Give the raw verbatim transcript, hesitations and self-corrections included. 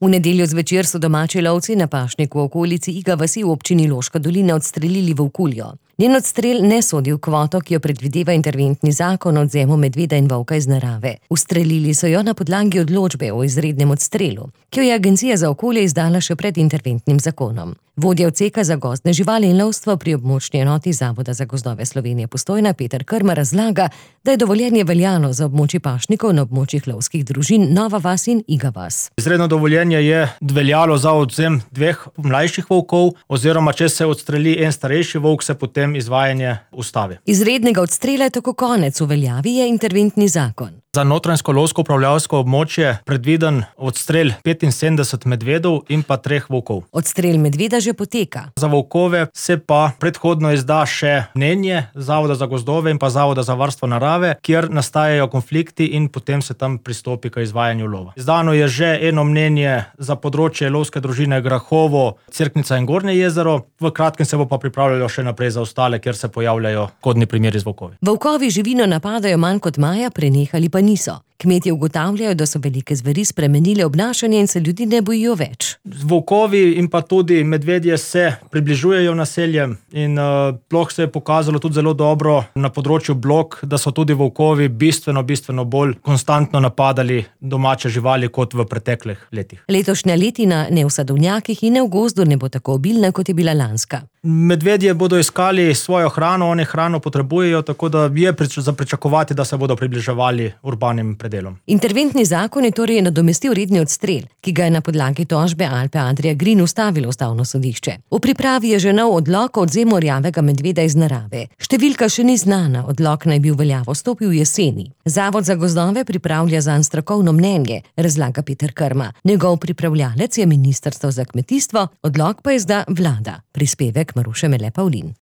V nedeljo zvečer so domači lovci na pašniku v okolici Iga vasi v občini Loška dolina odstrelili volkuljo. Njen odstrel ne sodi v kvoto, ki jo predvideva interventni zakon o odvzemu medveda in volka iz narave. Ustrelili so jo na podlagi odločbe o izrednem odstrelu, ki jo je Agencija za okolje izdala še pred interventnim zakonom. Vodja odseka za gozdne živali in lovstvo pri območni enoti Zavoda za gozdove Slovenije Postojna Peter Krma razlaga, da je dovoljenje veljalo za območje pašnikov na območjih lovskih družin Nova vas in Iga vas. Izredno dovoljenje je veljalo za odvzem dveh mlajših volkov, oziroma če se odstreli en starejši volk, se potem izvajanje ustavi. Izrednega odstrela je tako konec, v veljavi je interventni zakon. Za notranjsko lovsko upravljavsko območje predviden odstrel petinsedemdeset medvedov in pa treh volkov. Odstrel medveda že poteka. Za volkove se pa predhodno izda še mnenje Zavoda za gozdove in pa Zavoda za varstvo narave, kjer nastajajo konflikti in potem se tam pristopi k izvajanju lova. Izdano je že eno mnenje za področje lovske družine Grahovo, Cerknica in Gornje jezero, v kratkem se bo pa pripravljalo še naprej za ostale, kjer se pojavljajo kodni primeri z volkovi. Volkovi živino napadajo manj kot maja, prenehali pa niso. Kmetje ugotavljajo, da so velike zveri spremenile obnašanje in se ljudi ne bojijo več. Volkovi in pa tudi medvedje se približujejo naseljem in uh, ploh se je pokazalo tudi zelo dobro na področju Blok, da so tudi volkovi bistveno, bistveno bolj konstantno napadali domače živali kot v preteklih letih. Letošnja letina ne v sadovnjakih in ne v gozdu ne bo tako obilna, kot je bila lanska. Medvedje bodo iskali svojo hrano, oni hrano potrebujejo, tako da je prič- za pričakovati, da se bodo približevali urbanim predelom. Interventni zakon je torej nadomestil redni odstrel, ki ga je na podlagi tožbe Alpe Adria Green ustavilo ustavno sodišče. V pripravi je že nov odlok o odvzemu rjavega medveda iz narave. Številka še ni znana, odlok naj bi v veljavo stopil jeseni. Zavod za gozdove pripravlja zanj strokovno mnenje, razlaga Peter Krma. Njegov pripravljalec je Ministrstvo za kmetijstvo, odlok pa izda vlada. Prispevek Maruše Mele Pavlin.